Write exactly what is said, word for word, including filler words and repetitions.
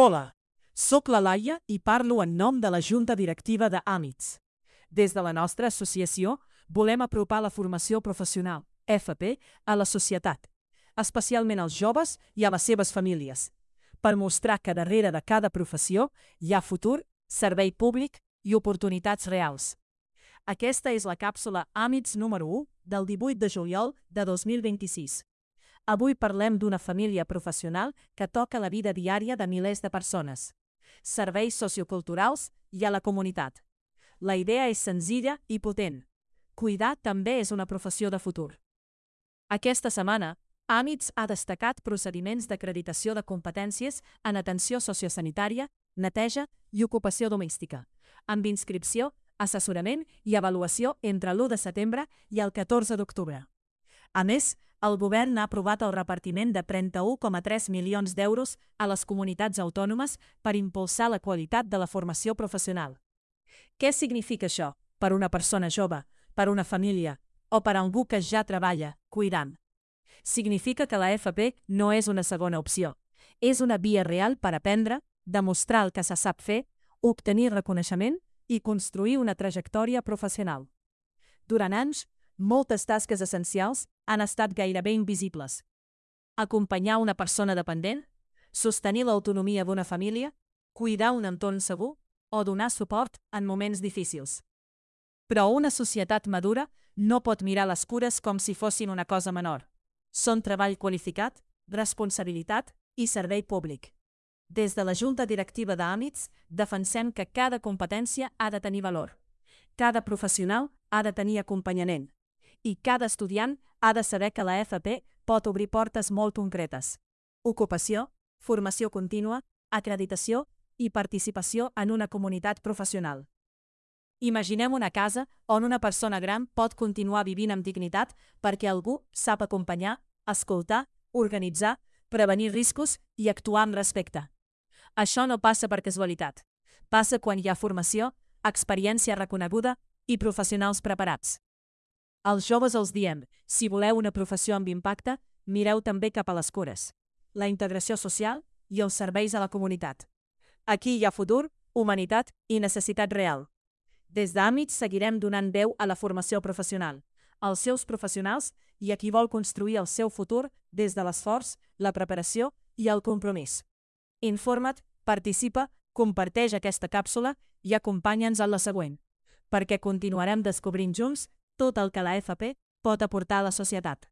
Hola, soc la Laia i parlo en nom de la Junta Directiva de Àmits. Des de la nostra associació volem apropar la formació professional, F P, a la societat, especialment als joves i a les seves famílies, per mostrar que darrere de cada professió hi ha futur, servei públic i oportunitats reals. Aquesta és la càpsula Àmits número u del divuit de juliol de dos mil vint-i-sis. Avui parlem d'una família professional que toca la vida diària de milers de persones, serveis socioculturals i a la comunitat. La idea és senzilla i potent. Cuidar també és una professió de futur. Aquesta setmana, Àmits ha destacat procediments d'acreditació de competències en atenció sociosanitària, neteja i ocupació domèstica, amb inscripció, assessorament i avaluació entre l'u de setembre i el catorze d'octubre. A més, el govern ha aprovat el repartiment de trenta-u coma tres milions d'euros a les comunitats autònomes per impulsar la qualitat de la formació professional. Què significa això per una persona jove, per una família o per algú que ja treballa cuidant? Significa que la F P no és una segona opció. És una via real per aprendre, demostrar el que se sap fer, obtenir reconeixement i construir una trajectòria professional. Durant anys, moltes tasques essencials han estat gairebé invisibles. Acompanyar una persona dependent, sostenir l'autonomia d'una família, cuidar un entorn segur o donar suport en moments difícils. Però una societat madura no pot mirar les cures com si fossin una cosa menor. Són treball qualificat, responsabilitat i servei públic. Des de la Junta Directiva d'Àmits defensem que cada competència ha de tenir valor. Cada professional ha de tenir acompanyament. I cada estudiant ha de saber que la F P pot obrir portes molt concretes. Ocupació, formació contínua, acreditació i participació en una comunitat professional. Imaginem una casa on una persona gran pot continuar vivint amb dignitat perquè algú sap acompanyar, escoltar, organitzar, prevenir riscos i actuar amb respecte. Això no passa per casualitat. Passa quan hi ha formació, experiència reconeguda i professionals preparats. Als joves els diem, si voleu una professió amb impacte, mireu també cap a les cures, la integració social i els serveis a la comunitat. Aquí hi ha futur, humanitat i necessitat real. Des d'Àmits seguirem donant veu a la formació professional, als seus professionals i a qui vol construir el seu futur des de l'esforç, la preparació i el compromís. Informa't, participa, comparteix aquesta càpsula i acompanya'ns en la següent, perquè continuarem descobrint junts tot el que la F P pot aportar a la societat.